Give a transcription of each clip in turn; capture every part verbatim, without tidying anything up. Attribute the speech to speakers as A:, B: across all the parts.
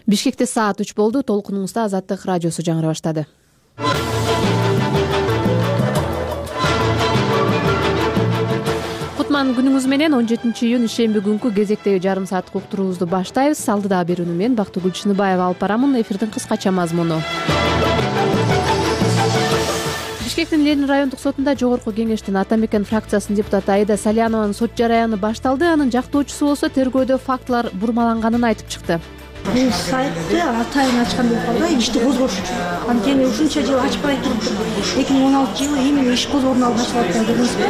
A: Бишкекте саат үч болду. Толкунуңузда Азаттык радиосу жаңыра баштады. Кутман күнүңүз менен. он жетинчи июнь ишемби күнкү кезектеги жарым сааттык уктуруубузду баштайбыз. Алдыдагы берүүнү мен Бактыгүл Чыныбаева алып барамын. Эфирдин кыскача мазмуну. Бишкектин Ленин райондук сотунда жогорку кеңештин Ата мекен фракциясынын депутаты Аида Салянованын сот жараяны башталды. Анын жактоочусу болсо тергөөдө фактылар бурмаланганын айтып чыкты.
B: Бул сайтты атайын ачкан болуп калды, ишти козгош үчүн. Анткени ушунча жыл ачпай туруптур. эки миң он алтынчы жылы именно иш козгоонун алдын ачып аткан көрдүңүзбү?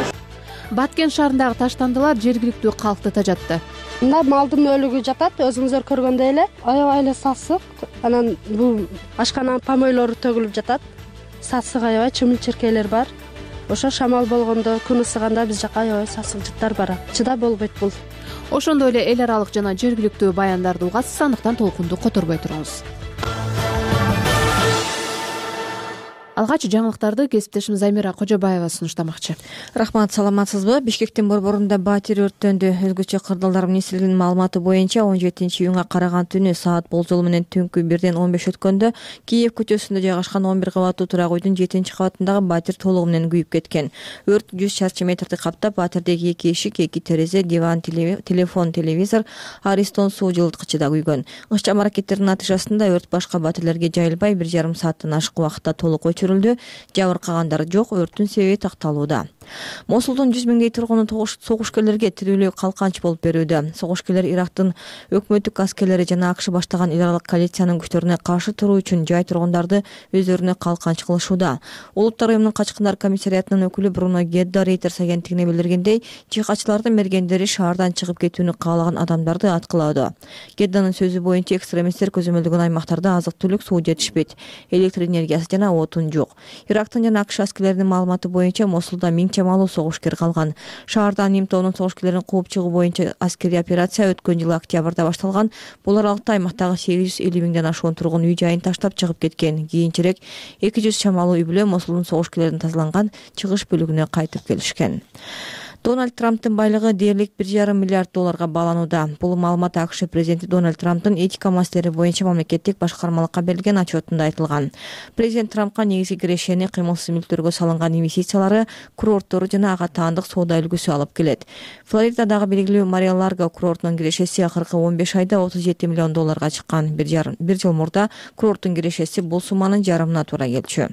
A: Баткен шаарындагы таштандылар жергиликтүү калкты тажатты.
C: Мында малдын өлүгү жатат, өзүңүздөр көргөндөй эле. Аябай эле сасык. Анан бул ашканан помойлору төгүлүп жатат. Сасык аябай, чымыл-чиркейлер бар. Ошо шамал болгондо, күн ысыганда биз жака аябай сасык жыттар бар. Чыдап болбойт бул.
A: Ошондой эле эл аралык жана жергиликтүү баяндарды угасыз, андыктан толкунду которбой туруңуз. Алгач жаңылыктарды кесиптешimiz Замира Кожобаева сунуштамакчы.
D: Рахмат, саламатсызбы? Бишкектин борборунда батир өрттөндү. Өзгөчө кырдаалдар министрлигинин маалыматы боюнча он жетинчи июнга караган түнү саат болжол менен түнкү бирден он беш өткөндө Киев көчөсүндө жайгашкан он бир кабаттуу турак үйдүн жетинчи кабатындагы батир толугу менен күйүп кеткен. Өрт жүз чарчы метрди каптап, батирдеги эки эшик, эки терезе, диван, телефон, телевизор, Аристон суу жылыткычы да күйгөн. Ыкчам аракеттердин натыйжасында өрт башка батирлерге жайылбай бир жарым сааттан ашык убакытта толук өчүрүлдү. Жабыркагандар жок, өрттүн себеби такталууда. Мосулдун жүз миңдей тургуну согушкерлерге тирүүлүү калканч болуп берүүдө. Согушкерлер Ирактын өкмөттүк аскерлери жана АКШ баштаган эл аралык коалициянын күчтөрүнө каршы туруу үчүн жай тургундарды өздөрүнө калканч кылышууда. Улуттар уюмунун качкындар комиссариятынын өкүлү Бруно Гедда Рейтерс агенттигине билдиргендей, жихадчылардын мергендери шаардан чыгып кетүүнү каалаган адамдарды аткылаады. Гедданын сөзү боюнча экстремисттер көзөмөлдөгөн аймактарда азык-түлүк, суу жетишпейт, электр энергиясы жана отун жок. Ирактын жана АКШ аскерлеринин маалыматы боюнча Мосулда миң чамалуу согушкер калган. Шаардан Ним тобунун согушкерлерин кууп чыгуу боюнча аскерий операция өткөн жылы октябрда башталган. Бул аралыкта аймактагы сегиз жүз элүү миңден ашуун тургун үй жайын таштап чыгып кеткен. Кийинчерээк эки жүз чамалуу үй бүлө Мосулдун согушкерлеринин тазаланган чыгыш бөлүгүнө кайтып келишкен. Дональд Трамптын байлыгы дээрлик бир жарым миллиард долларга бааланууда. Бул маалымат АКШ президенти Дональд Трамптын этика маселелери боюнча мамлекеттик башкармалыкка берилген отчетунда айтылган. Президент Трампка негизги кирешени кыймылсыз мүлктөргө салынган инвестициялары, курорттору жана ага таандык соода үлгүсү алып келет. Флоридадагы белгилүү Мари-Ларго курортунун кирешеси акыркы он беш айда отуз жети миллион долларга чыккан. Бир жыл мурда курорттун кирешеси бул сумманын жарымына туура келчү.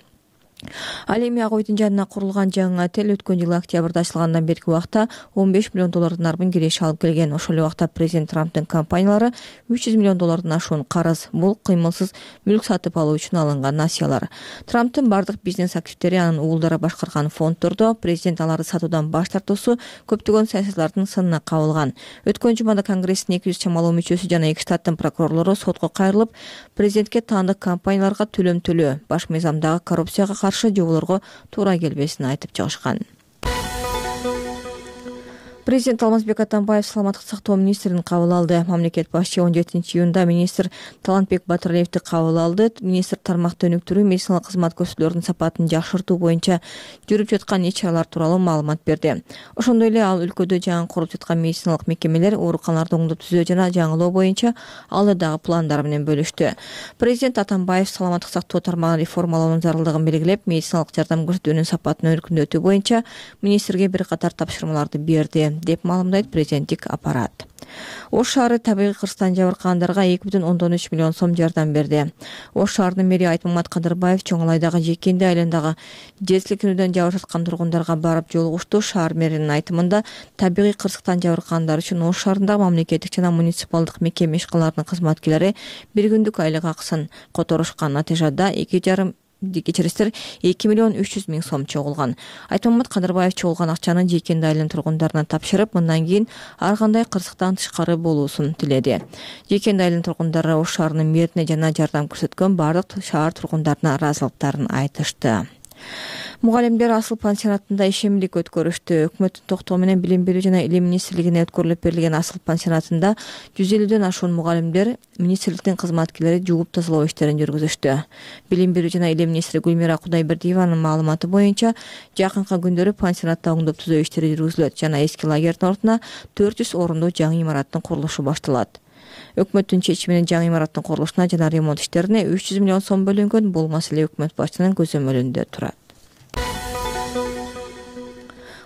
D: Ал эми ак үйдүн жанына курулган жаңы отель өткөн жылы октябрда ачылгандан берки убакта он беш миллион доллардан арбын киреше алып келген. Ошол эле убакта президент Трамптын компаниялары үч жүз миллион доллардан ашуун карыз. Бул кыймылсыз мүлк сатып алуу үчүн алынган насыялар. Трамптын бардык бизнес активдери анын уулдары башкарган фонддордо. Президент аларды сатуудан баш тартуусу көптөгөн саясатчылардын сынына кабылган. Өткөн жумада Конгресстин эки жүз чамалуу мүчөсү жана эки штаттын прокурорлору сотко кайрылып, президентке таандык компанияларга төлөм төлөө, баш мыйзамдагы коррупцияга каршы жоболорго туура келбесин айтып чыгышкан. Президент Алмазбек Атамбаев саламаттык сактоо министрин кабыл алды. Мамлекет башчы он жетинчи июнда министр Талантбек Батыралиевди кабыл алды. Министр тармакты өнүктүрүү, медициналык кызмат көрсөтүүлөрдүн сапатын жакшыртуу боюнча жүрүп жаткан иш-чаралар тууралуу маалымат берди. Ошондой эле ал өлкөдө жаңы куруп жаткан медициналык мекемелер, ооруканаларды оңдоп түзөө жана жаңылоо боюнча алдыдагы пландары менен бөлүштү. Президент Атамбаев саламаттык сактоо тармагын реформалоонун зарылдыгын белгилеп, медициналык жардам көрсөтүүнүн сапатын өркүндөтүү боюнча министрге бир катар тапшырмаларды берди, деп маалымдайт президенттик аппарат. Ош шаары табигый кырсыктан жабыркагандарга эки бүтүн ондон үч миллион сом жардам берди. Ош шаарынын мэри Айтмамат Кадырбаев чоң Алайдагы Жекенди айландагы жер силкинүүдөн жабырып жаткан тургундарга барып жолугушту. Шаар мэринин айтымында табигый кырсыктан жабыркагандар үчүн Ош шаарындагы мамлекеттик жана муниципалдык мекеме ишканаларынын кызматкерлери бир күндүк айлык акысын которушкан. Натыйжада эки жарым кечиристер эки миллион үч жүз миң сом чогулган. Айтмамат Кадырбаев чогулган акчаны Жекенди айылынын тургундарына тапшырып, мындан кийин ар кандай кырсыктан тышкары болуусун тиледи. Жекенди айылынын тургундары Ош шаарынын мэрине жана жардам көрсөткөн бардык шаар тургундарына ыраазылыктарын айтышты. Мугалимдер асыл пансионатында ишемдик өткөрүштү. Өкмөттүн токтоо менен Билим берүү жана Илим министрлигине өткөрүлүп берилген асыл пансионатында жүз элүүдөн ашуун мугалимдер министрликтин кызматкерлери жууп тазалоо иштерин жүргүзүштү. Билим берүү жана Илим министри Гүлмира Кудайбердиеванын маалыматы боюнча, жакынкы күндөрү пансионатта оңдоп түзөө иштери жүргүзүлөт жана эски лагердин ордуна төрт жүз орундуу жаңы имараттын курулушу башталат. өкмөттүн чечиминен жаңы имараттын курулушуна жана ремонт иштерине үч жүз миллион сом бөлүнгөн. Бул маселе өкмөт башчынын көзөмөлүндө турат.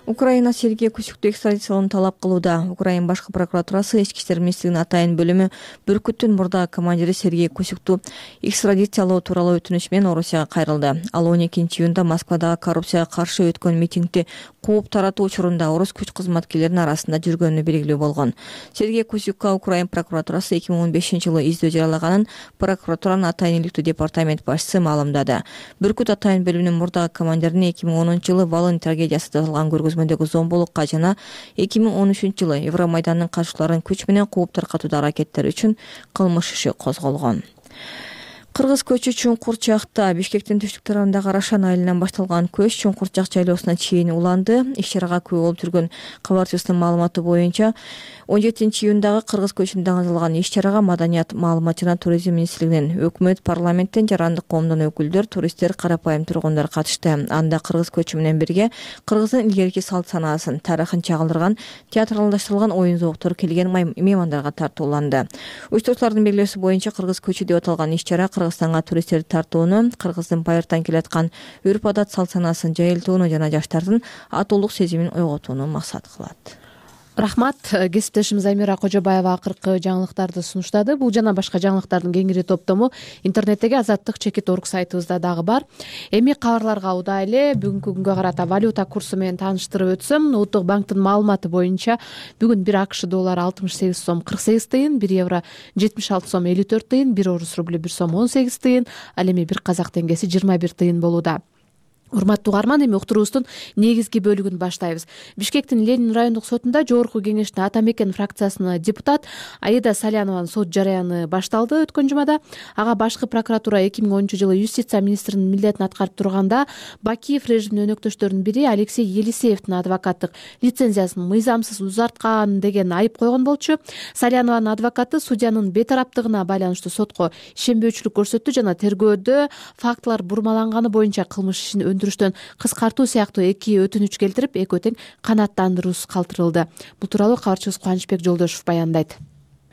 D: Украина Сергей Кусюкту экстрадициялоону талап кылууда. Украина башкы прокуратурасы ички иштер министрлигинин атайын бөлүмү Бүркүттүн мурдагы командири Сергей Кусюкту экстрадициялоо тууралуу өтүнүч менен Орусияга кайрылды. Ал он экинчи июнда Москвадагы коррупцияга каршы өткөн митингди кууп таратуу учурунда орус күч кызматкерлеринин арасында жүргөнү белгилүү болгон. Сергей Кусюкка Украина прокуратурасы эки миң он бешинчи жылы издөө жарыялаганын прокуратуранын атайын иликтүү департамент башчысы маалымдады. Бүркүт атайын бөлүмүнүн мурдагы командирине эки миң онунчу жылы Волынь трагедиясы жазылган көргөзмөдөгү зомбулукка жана эки миң он үчүнчү жылы Евромайдандын катышчыларын күч менен кууп таркатуудагы аракеттери үчүн кылмыш иши козголгон. Кыргыз көчү Чуңкурчакта Бишкектин түштүк тарабындагы Арашан айылынан башталган көч Чуңкурчак жайлоосуна чейин уланды. Иш-чарага күбө болуп жүргөн кабарчыбыздын маалыматы боюнча он жетинчи июндагы Кыргыз көчүндө аңгызылган иш-чарага Маданият, маалымат жана туризм министрлигинен, өкмөт, парламенттен, жарандык коомдон өкүлдөр, туристтер, карапайым тургундар катышты. Анда Кыргыз көчү менен бирге Кыргыздын илгерки салт санаасын, тарыхын чагылдырган театралдаштырылган оюн зооктор келген меймандарга тартууланды. Уюштуруучулардын белгилөөсү боюнча Кыргыз көчү деп аталган иш-чара Кыргызстанга туристтерди тартууну, Кыргыздын байыртан келаткан үрп-адат, салт санаасын жайылтууну жана жаштардын атуулук сезимин ойготууну максат кылат.
A: Рахмат. Кесиптешим Замира Кожобаева акыркы жаңылыктарды сунуштады. Бул жана башка жаңылыктардын кеңири топтому интернеттеги азаттык чекит точка орг сайтыбызда дагы бар. Эми кабарларга удайлы. Бүгүнкү күнгө карата валюта курсу менен тааныштырып өтсөм, Улуттук банктын маалыматы боюнча бүгүн бир АКШ доллары алтымыш сегиз сом кырк сегиз тыйын, бир евро жетимиш алты сом элүү төрт тыйын, бир орус рублю бир сом он сегиз тыйын, ал эми бир казак теңгеси жыйырма бир тыйын болууда. Урматтуу угарман, эми уктуруубуздун негизги бөлүгүн баштайбыз. Бишкектин Ленин райондук сотунда жогорку кеңештин Ата Мекен фракциясынын депутат Аида Салянованын сот жараяны башталды өткөн жумада. Ага башкы прокуратура эки миң онунчу жылы юстиция министринин милдетин аткарып турганда Бакиев режимдин өнөктөштөрүнүн бири Алексей Елисеевдин адвокаттык лицензиясын мыйзамсыз узарткан деген айып койгон болчу. Салянованын адвокаты судьянын бейтараптыгына байланыштуу сотко ишенбөөчүлүк көрсөттү жана тергөөдө фактылар бурмаланганы боюнча кылмыш ишин өндүрүштөн кыскартуу сыяктуу эки өтүнүч келтирип, экөө тең канааттандыруусуз калтырылды. Бул тууралуу кабарчыбыз Кубанычбек Жолдошев баяндайт.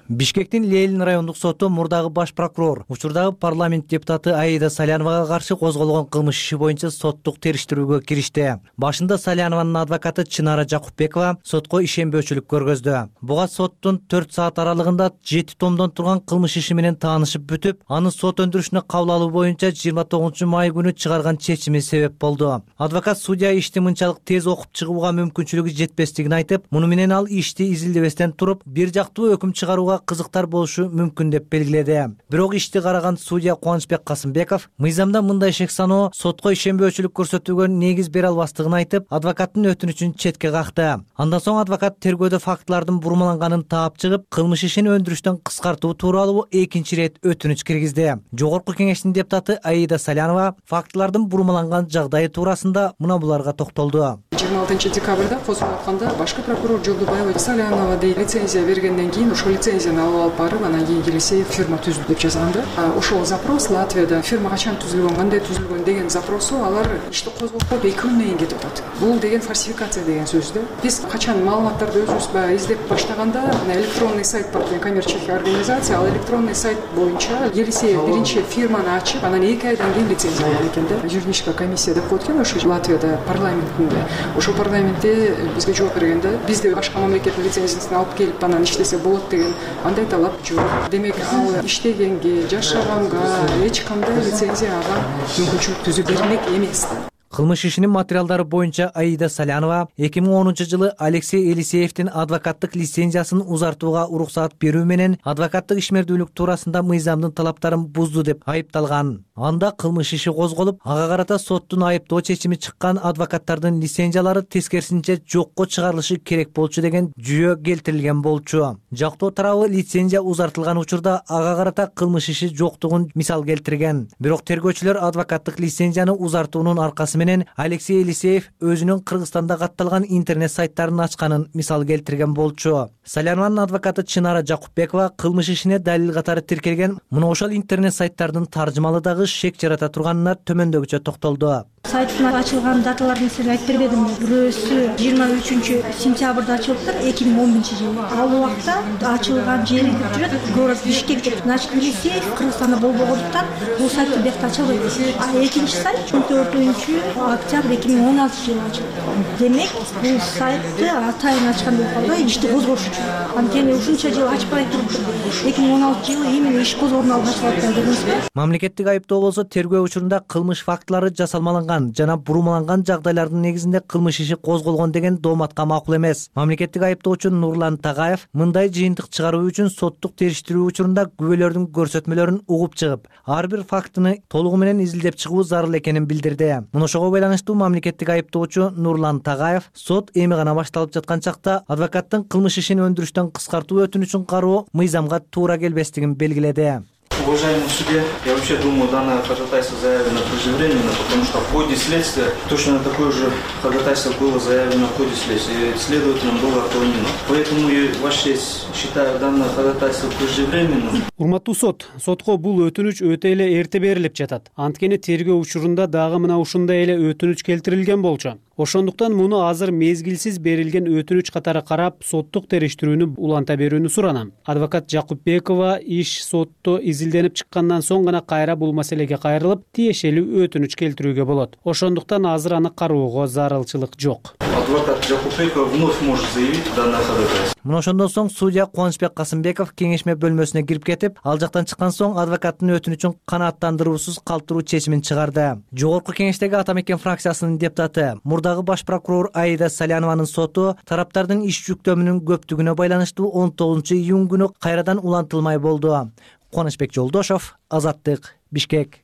E: Бишкектин Ленин райондук соту мурдагы баш прокурор, учурдагы парламент депутаты Аида Саляновага каршы козголгон кылмыш иши боюнча соттук териштирүүгө киришти. Башында Салянованын адвокаты Чынара Жакупбекова сотко ишенбөөчүлүк көргөздү. Буга соттун төрт саат аралыгында жети томдон турган кылмыш иши менен таанышып бүтүп, аны сот өндүрүшүнө кабыл алуу боюнча жыйырма тогузунчу май күнү чыгарган чечими себеп болду. Адвокат судья ишти мынчалык тез окуп чыгууга мүмкүнчүлүгү жетпестигин айтып, муну менен ал ишти изилдебестен туруп, бир жактуу өкүм чыгарууга кызыктар болушу мүмкүн деп белгиледи. Бирок ишти караган судья Кубанычбек Касымбеков мыйзамда мындай шек саноо сотко ишенбөөчүлүк көрсөтүүгө негиз бере албастыгын айтып, адвокаттын өтүнүчүн четке какты. Андан соң адвокат тергөөдө фактылардын бурмаланганын таап чыгып, кылмыш ишин өндүрүштөн кыскартуу тууралуу экинчи ирет өтүнүч киргизди. Жогорку кеңештин депутаты Аида Салянова фактылардын бурмаланган жагдайы туурасында мына буларга токтолду.
F: жыйырма алтынчы декабрда козголуп атканда башкы прокурор Жолдубаева Салянова dey лицензия бергенден кийин ошол лицензияны алып алып барып, анан кийин Елисеев фирма түздү деп жазганда, ошол запрос Латвияда фирма качан түзүлгөн, кандай түзүлгөн деген запросу алар ишти козгоп эки күндөн кийин кетип атат. Бул деген фальсификация деген сөз да. Биз качан маалыматтарды өзүбүз баягы издеп баштаганда, электронный сайт бар деген коммерческий организация, ал электронный сайт боюнча Елисеев биринчи фирманы ачып, анан эки айдан кийин лицензия алган экен да. Юридическая комиссия деп коет экен ошо Латвияда парламентинде. Ошо парламентте бизге жооп бергенде, биз де башка мамлекеттин лицензиясын алып келип анан иштесе болот деген андай талап жок. Демек, ал иштегенге, жашаганга эч кандай лицензия ага мүмкүнчүлүк түзүп берилмек эмес да.
E: Кылмыш ишинин материалдары боюнча Аида Салянова эки миң онунчу жылы Алексей Елисеевдин адвокаттык лицензиясын узартууга уруксаат берүү менен адвокаттык ишмердүүлүк туурасында мыйзамдын талаптарын бузду деп айыпталган. Анда кылмыш иши козголуп, ага карата соттун айыптоо чечими чыккан адвокаттардын лицензиялары тескерисинче жокко чыгарылышы керек болчу деген жүйө келтирилген болчу. Жактоо тарабы лицензия узартылган учурда ага карата кылмыш иши жоктугун мисал келтирген. Бирок тергөөчүлөр адвокаттык лицензияны узартуунун аркасы менен Алексей Елисеев өзүнүн Кыргызстанда катталган интернет сайттарын ачканын мисал келтирген болчу. Салянованын адвокаты Чынара Жакупбекова кылмыш ишине далил катары тиркелген мына ошол интернет сайттардын таржымалыдагы кылмыш шек жарата турганына төмөндөгүчө токтолду.
B: Сайттын ачылган даталарын сиз айтып бербедимби? Бирөөсү жыйырма үчүнчү сентябрда ачылыптыр, эки миң он биринчи жылы. Ал убакта ачылган жери деп жүрөт, город Бишкек деп. Значит, Елисеев Кыргызстанда болбогондуктан бул сайт биякта ачылбайт. А экинчи сайт он төртүнчү октябрь эки миң он алтынчы жылы ачылды. Демек, бул сайтты атайын ачкан деп калды, ишти козгош үчүн. Анткени ушунча жыл ачпай туруптур. эки миң он алтынчы жылы именно иш козгоодун алдын ачылып бердиңизби?
E: Мамлекеттик айыптоо болсо тергөө учурунда кылмыш фактылары жасалмаланган жана бурмаланган жагдайлардын негизинде кылмыш иши козголгон деген дооматка макул эмес. Мамлекеттик айыптоочу Нурлан Тагаев мындай жыйынтык чыгаруу үчүн соттук териштирүү учурунда күбөлөрдүн көрсөтмөлөрүн угуп чыгып, ар бир фактыны толугу менен изилдеп чыгуу зарыл экенин билдирди. Муношого байланыштуу мамлекеттик айыптоочу Нурлан Тагаев сот эми гана башталып жаткан чакта адвокаттын кылмыш ишин өндүрүштөн кыскартуу өтүнүчүн кароо мыйзамга туура келбестигин белгиледи.
G: Уважаемый судья, я вообще думаю, данное ходатайство заявлено преждевременно, потому что в ходе следствия точно такое же ходатайство было заявлено в ходе следствия, и следователям было отклонено. Поэтому, Ваша честь, считаю данное ходатайство преждевременным.
H: Урматтуу сот, сотко бул өтүнүч өтө эле эрте берилип жатат. Анткени тергөө учурунда дагы мына ушундай эле өтүнүч келтирилген болчу. Ошондуктан муну азыр мезгилсиз берилген өтүнүч катары карап, соттук териштирүүнү уланта берүүнү суранам. Адвокат Жакупбекова иш сотто изилденип чыккандан соң гана кайра бул маселеге кайрылып, тиешелүү өтүнүч келтирүүгө болот. Ошондуктан азыр аны кароого зарылчылык жок.
G: Адвокат Жакупбекова вновь может заявить данное ходатайство.
E: Мына ошондон соң судья Кубанычбек Касымбеков кеңешме бөлмөсүнө кирип кетип, ал жактан чыккан соң адвокаттын өтүнүчүн канааттандыруусуз калтыруу чечимин чыгарды. Жогорку кеңештеги Ата Мекен фракциясынын депутаты, мурдагы баш прокурор Аида Салянованын соту тараптардын иш жүктөмүнүн көптүгүнө байланыштуу он тогузунчу июнь күнү кайрадан улантылмай болду. Кубанычбек Жолдошов, Азаттык, Бишкек.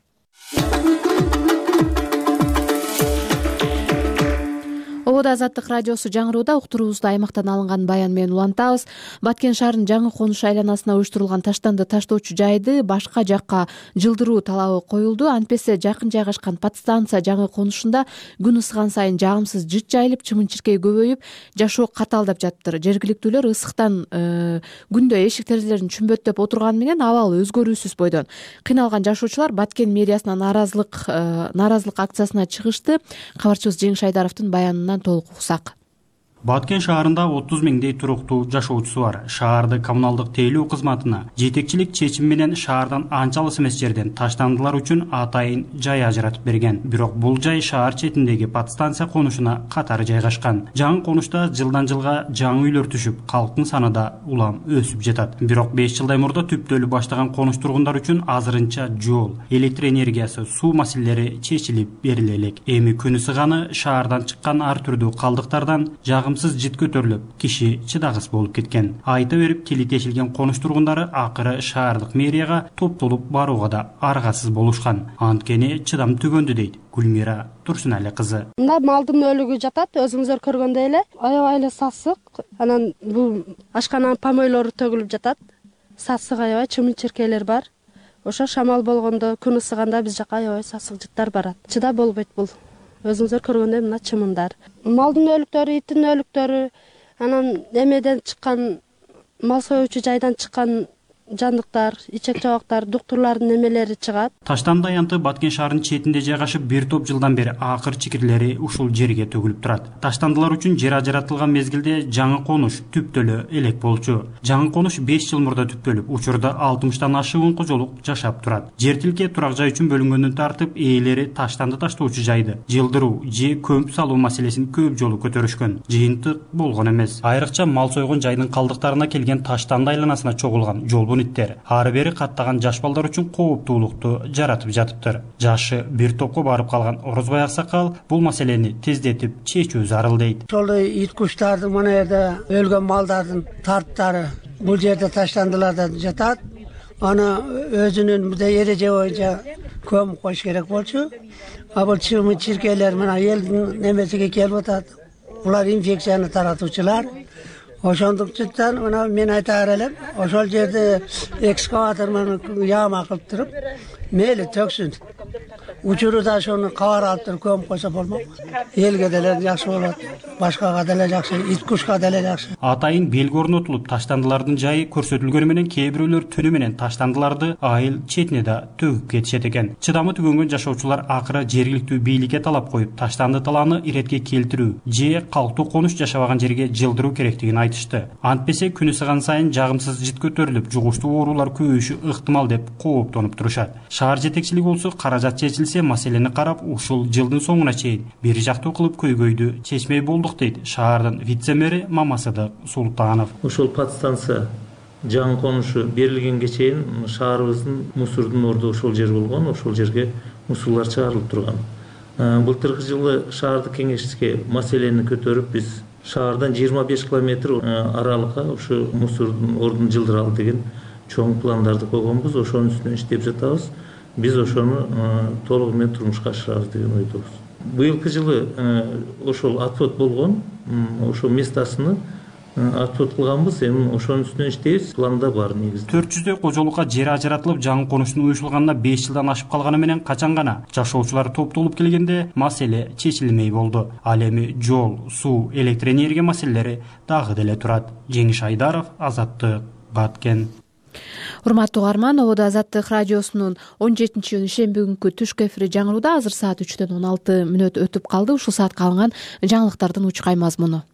A: Ободо Азаттык радиосу жаңырууда уктуруубузду аймактан алынган баян менен улантабыз. Баткен шаарынын жаңы конуш айланасына уюштурулган таштанды таштоочу жайды башка жакка жылдыруу талабы коюлду. Антпесе жакын жайгашкан подстанция жаңы конушунда күн ысыган сайын жагымсыз жыт жайылып, чымын-чиркей көбөйүп, жашоо катаалдап жатыптыр. Жергиликтүүлөр ысыктан күндө эшик терезелерин чүмбөттөп отурганы менен абал өзгөрүүсүз бойдон кыйналган жашоочулар Баткен мэриясына нааразылык нааразылык акциясына чыгышты. Кабарчыбыз Жеңиш Айдаровдун баянынан толук уксак.
I: Баткен шаарында отуз миңдей туруктуу жашоочусу бар. Шаарды коммуналдык тейлөө кызматына жетекчилик чечим менен шаардан анча алыс эмес жерден таштандылар үчүн атайын жай ажыратып берген. Бирок бул жай шаар четиндеги подстанция конушуна катары жайгашкан. Жаңы конушта жылдан жылга жаңы үйлөр түшүп, калктын саны да улам өсүп жатат. Бирок беш жылдай мурда түптөлүп баштаган конуш тургундар үчүн азырынча жол, электр энергиясы, суу маселелери чечилип бериле элек. Эми күн ысыганы шаардан чыккан ар түрдүү калдыктардан жагым жыт көтөрүлүп, киши чыдагыс болуп кеткен. Айта берип килит тешилген конуш тургундары акыры шаардык мэрияга топтолуп барууга да аргасыз болушкан. Анткени чыдам түгөндү дейт Гүлмира Турсунали кызы.
C: Мында малдын өлүгү жатат, өзүңүздөр көргөндөй эле. Аябай эле сасык. Анан бул ашкананын помойлору төгүлүп жатат. Сасык аябай, чымын-чиркейлер бар. Ошо шамал болгондо, күн ысыганда биз жака аябай сасык жыттар барат. Чыдап болбойт бул. Өзүңүздөр көргөндөй мына чымындар. Малдын өлүктөрү, иттин өлүктөрү, анан эмеден чыккан, мал союучу жайдан чыккан жандыктар, ичек жабактар, доктурлардын немелери чыгат. Таштанды аянты Баткен шаарынын четинде жайгашып, бир топ жылдан бери акыр чикирлери ушул жерге төгүлүп турат. Таштандылар үчүн жер ажыратылган мезгилде жаңы конуш түптөлө элек болчу. Жаңы конуш беш жыл мурда түптөлүп, учурда алтымыштан ашыгын кожолук жашап турат. Жер тилке турак жай үчүн бөлүнгөндөн тартып, ээлери таштанды таштоочу жайды жылдыруу же көмүп салуу маселесин көп жолу көтөрүшкөн. Жыйынтык болгон эмес. Айрыкча мал сойгон жайдын калдыктарына келген таштанды айланасына чогулган жол иттер ары бери каттаган жаш балдар үчүн кооптуулукту жаратып жатыптыр. Жашы бир топко барып калган Орозбай Аксакал бул маселени тездетип чечүү зарыл дейт.
J: Ошол ит куштардын мына жерде өлгөн малдардын тарттары бул жерде таштандыларда жатат. Аны өзүнүн мындай эреже боюнча көмүп коюш керек болчу. А бул чымын-чиркейлер мына элдин немесиге келип атат. Булар инфекцияны таратуучулар. Ошондуктан мына мен айтаар элем, ошол жерде экскаватор менен яма кылып туруп, мейли төксүн. учуру да ошону кабар алып туруп көмүп койсо болмок. Элге деле жакшы болот, башкага деле жакшы, ит кушка деле жакшы.
I: Атайын белги орнотулуп, таштандылардын жайы көрсөтүлгөнү менен кээ бирөөлөр түнү менен таштандыларды айыл четине да төгүп кетишет экен. Чыдамы түгөнгөн жашоочулар акыры жергиликтүү бийликке талап коюп, таштанды талааны иретке келтирүү же калктуу конуш жашабаган жерге жылдыруу керектигин айтышты. Антпесе күнү сыган сайын жагымсыз жит көтөрүлүп, жугуштуу оорулар көбөйүшү ыктымал деп кооптонуп турушат. Шаар жетекчилиги болсо каражат чечилсе маселени карап, ушул жылдын соңуна чейин бир жактуу кылып көйгөйдү чечмей болдук дейт шаардын вице-мэри Мамасыдык Султанов.
K: Ушул подстанция жаңы конушу берилгенге чейин шаарыбыздын мусордун орду ошол жер болгон, ошол жерге мусорлор чыгарылып турган. Былтыркы жылы шаардык кеңешке маселени көтөрүп, биз шаардан жыйырма беш километр аралыкка ушу мусордун ордун жылдыралы деген чоң пландарды койгонбуз. Ошонун үстүнөн иштеп жатабыз. Биз ошону толугу менен турмушка ашырабыз деген ойдобуз. Быйылкы жылы ошол отвод болгон, ошол местасыны отвод кылганбыз, эми ошонун үстүнөн иштейбиз. Планда бар негизинде.
I: төрт жүздөй кожолукка жер ажыратылып, жаңы конуштун уюшулганына беш жылдан ашып калганы менен качан гана жашоочулар топтолуп келгенде маселе чечилмей болду. Ал эми жол, суу, электр энергия маселелери дагы деле турат. Жеңиш Айдаров, Азаттык, Баткен.
A: Урматтуу угарман, ободо Азаттык радиосунун он жетинчи июнь шемби күнкү түшкү эфири жаңырууда. Азыр саат үчтөн он алты мүнөт өтүп калды. Ушул саатка алынган жаңылыктардын учкай мазмуну.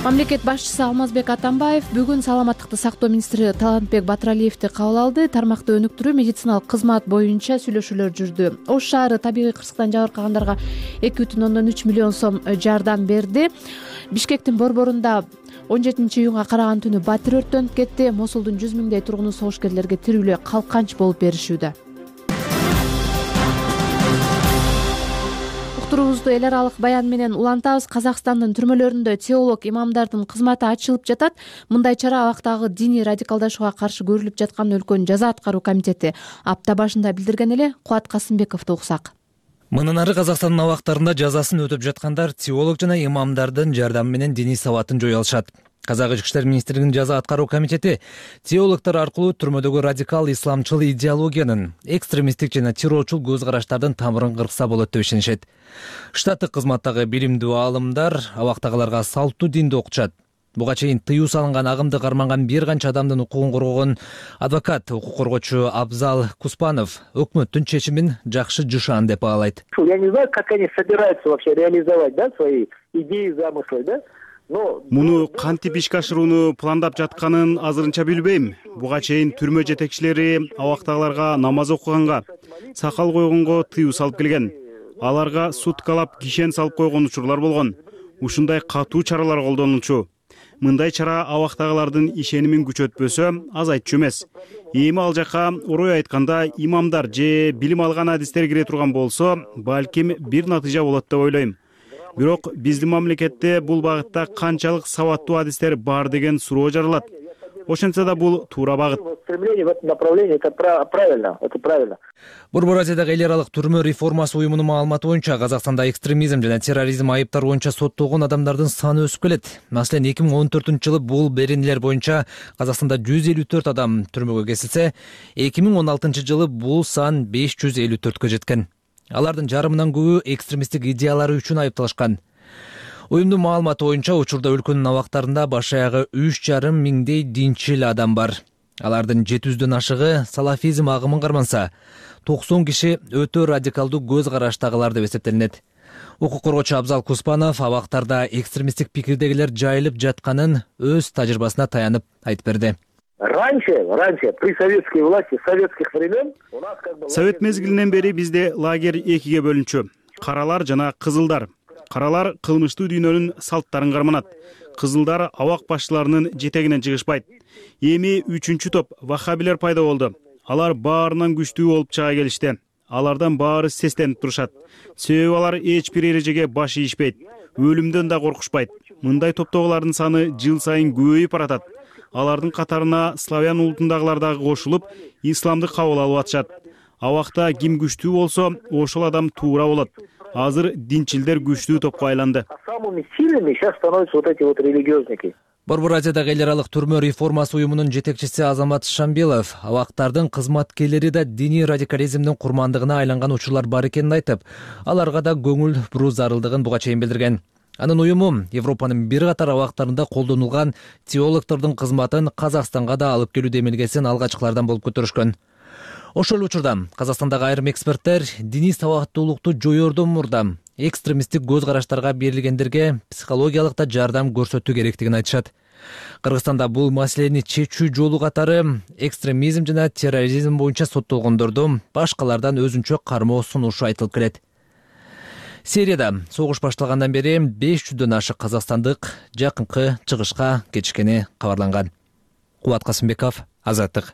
A: Мамлекет башчысы Алмазбек Атамбаев бүгүн саламаттыкты сактоо министри Талантбек Батыралиевди кабыл алды. Тармакты өнүктүрүү, медициналык кызмат боюнча сүйлөшүүлөр жүрдү. Ош шаары табигый кырсыктан жабыркагандарга эки бүтүн ондон үч миллион сом жардам берди. Бишкектин борборунда он жетинчи июнга караган түнү батир өрттөнүп кетти. Мосулдун жүз миңдей тургуну согушкерлерге тирүүлө калканч болуп беришүүдө. Турубузду эл аралык баян менен улантабыз. Казакстандын түрмөлөрүндө теолог имамдардын кызматы ачылып жатат. Мындай чара абактагы диний радикалдашууга каршы көрүлүп жаткан өлкөнүн жаза аткаруу комитети апта башында билдирген эле. Кубат Касымбековду уксак.
E: Мындан ары Казакстандын абактарында жазасын өтөп жаткандар теолог жана имамдардын жардамы менен диний сабатын жое алышат. Казак ички иштер министрлигинин жаза аткаруу комитети теологдор аркылуу түрмөдөгү радикал исламчыл идеологиянын, экстремисттик жана террорчул көз караштардын тамырын кыркса болот деп ишенишет. Штаттык кызматтагы билимдүү аалымдар абактагыларга салттуу динди окутушат. Буга чейин тыюу салынган агымды карманган бир канча адамдын укугун коргогон адвокат, укук коргоочу Абзал Куспанов өкмөттүн чечимин жакшы жушан деп баалайт.
L: Я не знаю, как они собираются вообще реализовать, да, свои идеи, замыслы, да?
M: Муну кантип ишке ашырууну пландап жатканын азырынча билбейм. Буга чейин түрмө жетекчилери абактагыларга намаз окуганга, сакал койгонго тыюу салып келген. Аларга суткалап кишен салып койгон учурлар болгон. Ушундай катуу чаралар колдонулчу. Мындай чара абактагылардын ишенимин күчөтпөсө азайтчу эмес. Эми ал жака орой айтканда имамдар же билим алган адистер кире турган болсо, балким бир натыйжа болот деп ойлойм. Бирок биздин мамлекетте бул багытта канчалык сабаттуу адистер бар деген суроо жаралат. Ошентсе да бул туура багыт.
L: Стремление в этом направлении это правильно, это правильно.
E: Борбор Азиядагы эл аралык түрмө реформасы уюмунун маалыматы боюнча Казакстанда экстремизм жана терроризм айыптары боюнча соттолгон адамдардын саны өсүп келет. Маселен, эки миң он төртүнчү жылы бул беренелер боюнча Казакстанда жүз элүү төрт адам түрмөгө кесилсе, эки миң он алтынчы жылы бул сан беш жүз элүү төрткө жеткен. Алардын жарымынан көбү экстремисттик идеялары үчүн айыпталышкан. Уюмдун маалыматы боюнча учурда өлкөнүн абактарында баш аягы үч жарым миңдей динчил адам бар. Алардын жети жүздөн ашыгы салафизм агымын карманса, токсон киши өтө радикалдуу көз караштагылар деп эсептелинет. Укук коргоочу Абзал Куспанов абактарда экстремисттик пикирдегилер жайылып жатканын өз тажрыйбасына таянып айтып берди.
L: Раньше, раньше, при советской власти, советских времен у нас как бы...
M: Совет мезгилинен бери бизде лагерь экиге бөлүнчү. Каралар жана кызылдар. Каралар кылмыштуу дүйнөнүн салттарын карманат. Кызылдар абак башчыларынын жетегинен чыгышпайт. Эми үчүнчү топ ваххабилер пайда болду. Алар баарынан күчтүү болуп чыга келишти. Алардан баары сестенип турушат. Себеби алар эч бир эрежеге баш ийишпейт. Өлүмдөн да коркушпайт. Мындай топтогулардын саны жыл сайын көбөйүп баратат. Алардын катарына славян улутундагылар дагы кошулуп, исламды кабыл алып атышат. Абакта ким күчтүү болсо, ошол адам туура болот. Азыр динчилдер күчтүү топко айланды.
L: Самыми сильными сейчас становятся вот эти вот религиозники.
N: Борбор Азиядагы эл аралык түрмө реформасы уюмунун жетекчиси Азамат Шамбилов абактардын кызматкерлери да диний радикализмдин курмандыгына айланган учурлар бар экенин айтып, аларга да көңүл буруу зарылдыгын буга чейин билдирген. Анын уюму Европанын бир катар абактарында колдонулган теологдордун кызматын Казакстанга да алып келүү демилгесин алгачкылардан болуп көтөрүшкөн. Ошол учурда Казакстандагы айрым эксперттер диний сабаттуулукту жоёрдон мурда экстремисттик көз караштарга берилгендерге психологиялык да жардам көрсөтүү керектигин айтышат. Кыргызстанда бул маселени чечүү жолу катары экстремизм жана терроризм боюнча соттолгондорду башкалардан өзүнчө кармоо сунушу айтылып келет. Сирияда согуш башталгандан бери беш жүздөн ашык казакстандык жакынкы чыгышка кетишкени кабарланган. Кубат Касымбеков, Азаттык.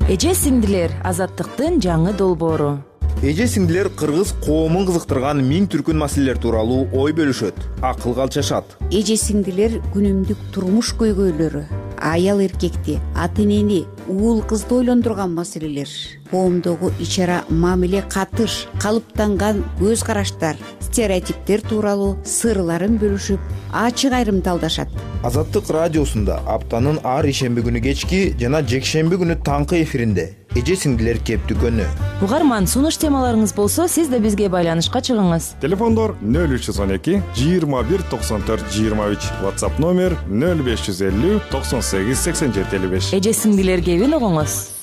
O: Эже сиңдилер, Азаттыктын жаңы долбоору.
P: Эже сиңдилер кыргыз коомун кызыктырган миң түркүн маселелер тууралуу ой бөлүшөт, акылга алчашат.
Q: Эже сиңдилер күнүмдүк турмуш көйгөйлөрү, аял эркекти, ата энени, уул кызды ойлондурган маселелер, коомдогу ичара мамиле катыш, калыптанган көз караштар, стереотиптер тууралуу сырларын бөлүшүп, ачык айрымдалдашат.
P: Азаттык радиосунда аптанын ар ишемби күнү кечки жана жекшемби күнү таңкы эфиринде эже сиңдилер кептүкөнү.
O: Угарман, сунуш темаларыңыз болсо, сиз да бизге байланышка чыгыңыз.
R: Телефондор нөл үч жүз он эки жыйырма бир токсон төрт жыйырма үч, WhatsApp номер нөл беш жүз элүү токсон сегиз сексен жети элүү беш.
O: Эже сиңдилер кебин угуңуз.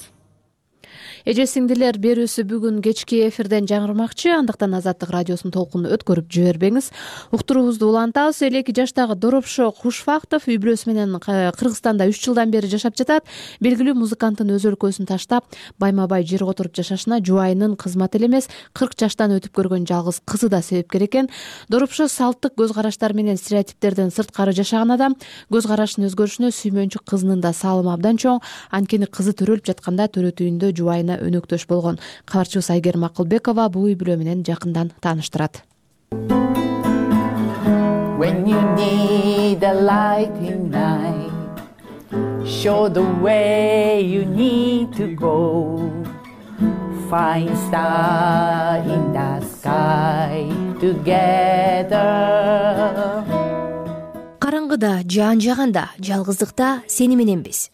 A: Эже сиңдилер берүүсү бүгүн кечки эфирден жаңырмакчы, андыктан Азаттык радиосунун толкунун өткөрүп жибербеңиз. Уктуруубузду улантабыз. элүү эки жаштагы Доропшо Кушфактов үй бүлөсү менен Кыргызстанда үч жылдан бери жашап жатат. Белгилүү музыканттын өз өлкөсүн таштап, байма-бай жерге отуруп жашашына жубайынын кызматы эле эмес, кырк жаштан өтүп көргөн жалгыз кызы да себепкер экен. Доропшо салттык көз караштар менен стереотиптерден сырткары жашаган адам, көз карашынын өзгөрүшүнө сүймөнчү кызынын да салымы абдан чоң. Анткени кызы төрөлүп жатканда төрөт үйүндө жубайына өнөктөш болгон. Кабарчыбыз Айгерим Акылбекова бул үй бүлө менен жакындан тааныштырат.
S: When you need a light in night, show the way you need to go. Find star in the sky together.
T: Караңгыда, жаан жаганда, жалгыздыкта сени мененбиз.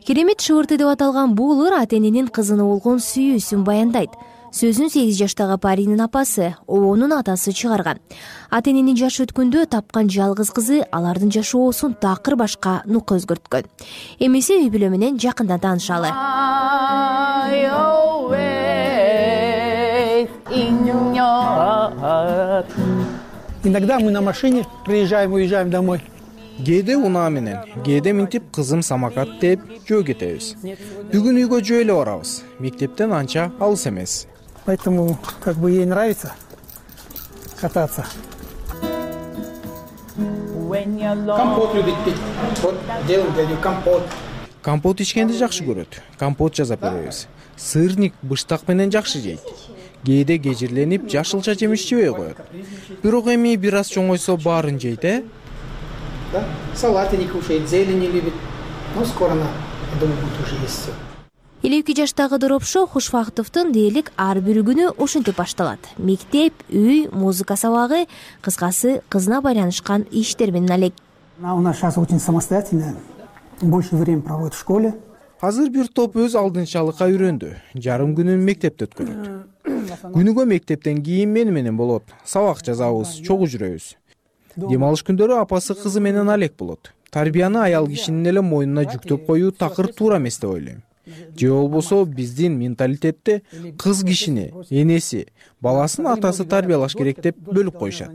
T: Керемет шыбырты деп аталган бул ыр ата эненин кызына болгон сүйүүсүн баяндайт. Сөзүн сегиз жаштагы Паринин апасы, обонун атасы чыгарган. Ата эненин жашы өткөндө тапкан жалгыз кызы алардын жашоосун такыр башка нукка өзгөрткөн. Эмесе үй бүлө менен жакындан таанышалы.
U: Иногда мы на машине приезжаем, уезжаем домой.
V: Кээде унаа менен, кээде минтип кызым самокат деп жөө кетебиз. Бүгүн үйгө жөө эле барабыз. Мектептен анча алыс эмес.
U: Поэтому как бы ей нравится кататься. Компот любит пить. Вот делаем для нее компот.
V: Компот ичкенди жакшы көрөт. Компот жасап беребиз. Сырник, быштак менен жакшы жейт. Кээде кежирленип жашылча жемиш жебей коет. Бирок эми бир аз чоңойсо баарын жейт, э?
U: Да? Салаты не кушает, зелень не любит. Ну, скоро она, я думаю, будет уже есть все.
T: элүү эки жаштагы Доропшо Кушфактовдун дээлик ар бир күнү ушинтип башталат. Мектеп, үй, музыка сабагы, кыскасы кызына байланышкан иштер менен алек.
U: Она у нас сейчас очень самостоятельная, больше времени проводит в школе.
V: Азыр бир топ өз алдынчалыкка үйрөндү. Жарым күнүн мектепте өткөрөт. Күнүгө мектептен кийин мени менен болот. Сабак жазабыз, чогуу жүрөбүз. Дем алыш күндөрү апасы кызы менен алек болот. Тарбияны аял кишинин эле мойнуна жүктөп коюу такыр туура эмес деп ойлойм. Же болбосо биздин менталитетте кыз кишини, энеси, баласын атасы тарбиялаш керек деп бөлүп коюшат.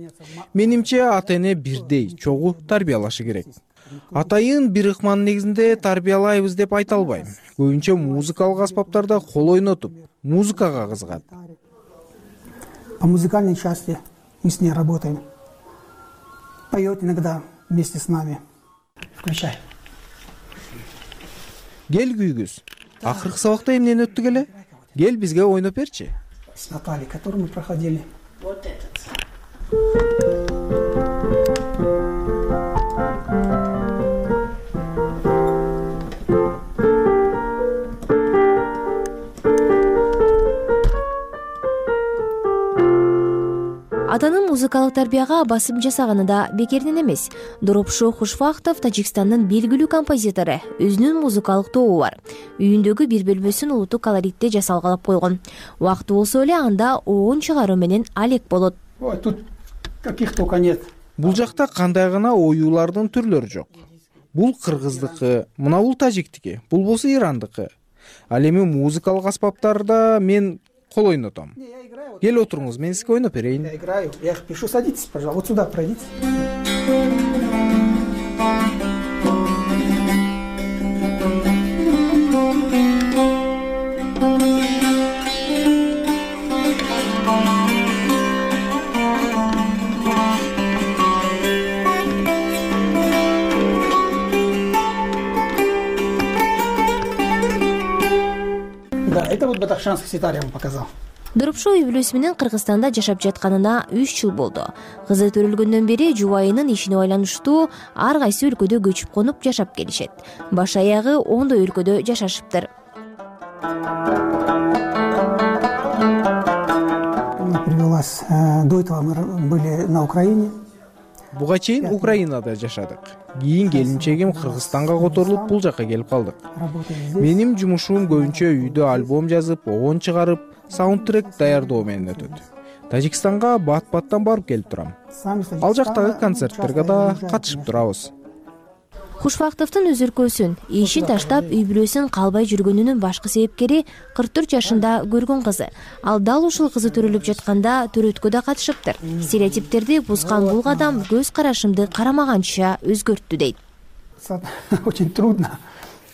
V: Менимче ата эне бирдей, чогуу тарбиялашы керек. Атайын бир ыкманын негизинде тарбиялайбыз деп айта албайм. Көбүнчө музыкалык аспаптарда кол ойнотуп, музыкага кызыгат.
U: По музыкальной части мы с ней работаем. Поет иногда вместе с нами. Включай.
V: Кел күйгүз. Акыркы сабакта эмнени өттүк эле? Кел бизге ойноп берчи.
U: С Натальей, которую мы проходили. Вот этот.
T: атанын музыкалык тарбияга басым жасаганы да бекерден эмес. Доропшо Хушвахтов Тажикстандын белгилүү композитору. Өзүнүн музыкалык тобу бар. Үйүндөгү бир бөлмөсүн улуттук колоритте жасалгалап койгон. Убакыты болсо эле анда оон чыгаруу менен алек болот.
U: Тут каких только нет.
V: Бул жакта кандай гана оюулардын түрлөрү жок. Бул кыргыздыкы, мына бул тажиктики, бул болсо ирандыкы. Ал эми музыкалык аспаптарда мен кол ойнотом. Кел отуруңуз, мен сизге ойноп берейин.
U: Я играю, я их пишу. Садитесь, пожалуйста, вот сюда пройдите. Да, это вот бадахшанский ситар я вам показал.
T: Доропшо үй бүлөсү менен Кыргызстанда жашап жатканына үч жыл болду. Кызы төрөлгөндөн бери жубайынын ишине байланыштуу ар кайсы өлкөдө көчүп конуп жашап келишет. Баш аягы ондой өлкөдө жашашыптыр.
U: Привелась. До этого мы были на Украине.
V: Буга чейин Украинада жашадык. Кийин келинчегим Кыргызстанга которулуп бул жакка келип калдык. Менин жумушум көбүнчө үйдө альбом жазып, оон чыгарып, саундтрек даярдоо менен өтөт. Тажикстанга бат-баттан барып келип турам. Ал жактагы концерттерге да катышып турабыз.
T: Хушвахтовдун өзүркөсүн, ишин таштап үй бүлөсүн калбай жүргөнүнүн башкы себепкери кырк төрт жашында көргөн кызы. Ал дал ушул кызы төрөлүп жатканда төрөткө да катышыптыр. Стереотиптерди бузган бул кадам көз карашымды карамаганча өзгөрттү дейт.
U: Очень трудно.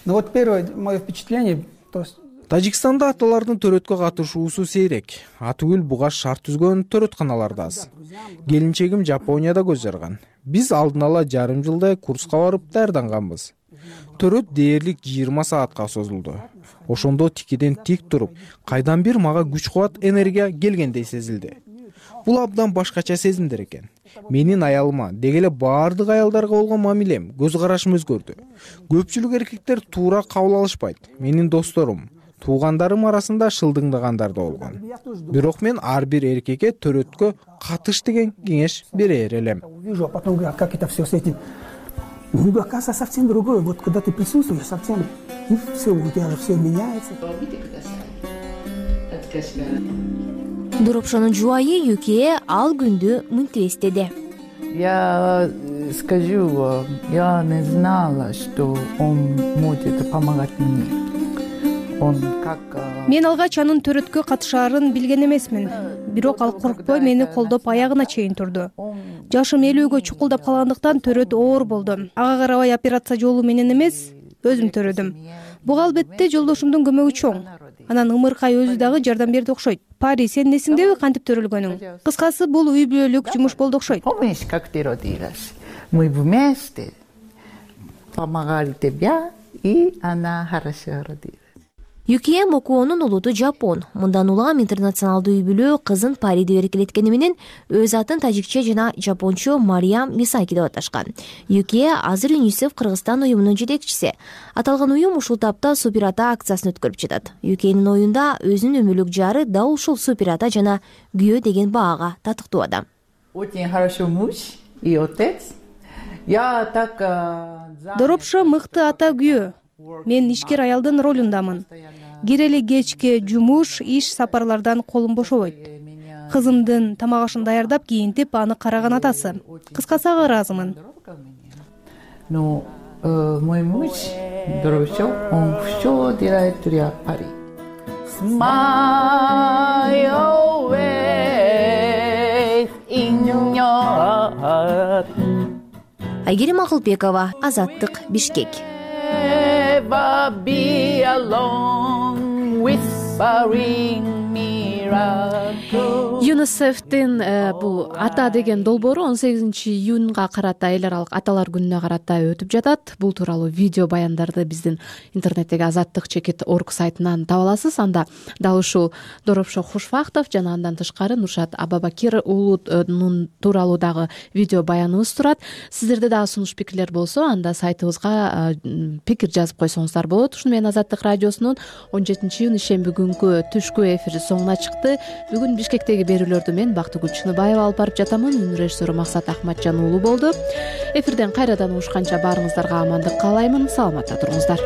U: Но вот первое мое впечатление, то есть
V: Тажикстанда аталардын төрөткө катышуусу сейрек. Атүгүл буга шарт түзгөн төрөтканалар да аз. Келинчегим Жапонияда көз жарган. Биз алдын ала жарым жылдай курска барып даярданганбыз. Төрөт дээрлик жыйырма саатка созулду. Ошондо тикиден тик туруп, кайдан бир мага күч-кубат, энергия келгендей сезилди. Бул абдан башкача сезимдер экен. Менин аялыма, деги эле баардык аялдарга болгон мамилем, көз карашым өзгөрдү. Көпчүлүк эркектер туура кабыл алышпайт. Менин досторум, туугандарым арасында шылдыңдагандар да болгон. Бирок мен ар бир эркекке төрөткө катыш деген кеңеш берер элем.
U: Увижу, а потом говорю, как это все с этим. Ну, оказывается, совсем другое. Вот когда ты присутствуешь, совсем, и все, у тебя все меняется.
T: Доропшонун жубайы Юкие ал күндү мынтип эстеди.
S: Я скажу, я не знала, что он может помогать мне. Он как...
D: Мен алгач анын төрөткө катышаарын билген эмесмин. Бирок ал коркпой мени колдоп аягына чейин турду. Жашым элүүгө чукулдап калгандыктан төрөт оор болду. Ага карабай операция жолу менен эмес, өзүм төрөдүм. Буга албетте жолдошумдун көмөгү чоң. Анан ымыркай өзү дагы жардам берди окшойт. Пари, сен несиңдеби кантип төрөлгөнүң? Кыскасы, бул үй бүлөлүк жумуш болду окшойт.
S: Помнишь, как ты родилась? Мы вместе помогали тебе, и она хорошо родилась.
T: Юкие Мокуонун улуту Жапон. Мындан улам интернационалдуу үй бүлө кызын Париде эркелеткени менен өз атын тажикче жана жапончо Мариям Мисаки деп аташкан. Юкие азыр ЮНИСЕФ Кыргызстан уюмунун жетекчиси. Аталган уюм ушул тапта супер ата акциясын өткөрүп жатат. Юкиенин оюнда өзүнүн өмүрлүк жары да ушул супер ата жана күйөө деген баага татыктуу адам.
S: Очень хороший муж и отец. Я так...
D: Доропшо мыкты ата күйөө. Мен ишкер аялдын ролундамын. Кирели кечке жумуш, иш сапарлардан колум бошобойт. Кызымдын тамак ашын даярдап, кийинтип аны караган атасы. Кыскасы ага ыраазымын.
S: Но мой муж Доропшо, он всё делает для Пари. Smile always in your heart.
T: Айгерим Акылбекова, Азаттык, Бишкек.
S: Never be alone, whispering miracle.
A: ЮНИСЕФтин бул ата деген долбоору он сегизинчи июнга карата эл аралык аталар күнүнө карата өтүп жатат. Бул тууралуу видео баяндарды биздин интернеттеги азаттык чекит орг сайтынан таба аласыз. Анда дал ушул Доропшо Хушвахтов жана андан тышкары Нуршат Абабакир уулунун тууралуу дагы видео баяныбыз турат. Сиздерде дагы сунуш пикирлер болсо, анда сайтыбызга пикир жазып койсоңуздар болот. Ушуну менен Азаттык радиосунун он жетинчи июнь ишемби күнкү түшкү эфири соңуна чыкты. Бүгүн Бишкектеги берүү берүүлөрдү мен Бактыгүл Чыныбаева алып барып жатамын. Үнүн режиссеру Максат Ахматжан уулу болду. Эфирден кайрадан угушканча баарыңыздарга амандык каалаймын. Саламатта туруңуздар.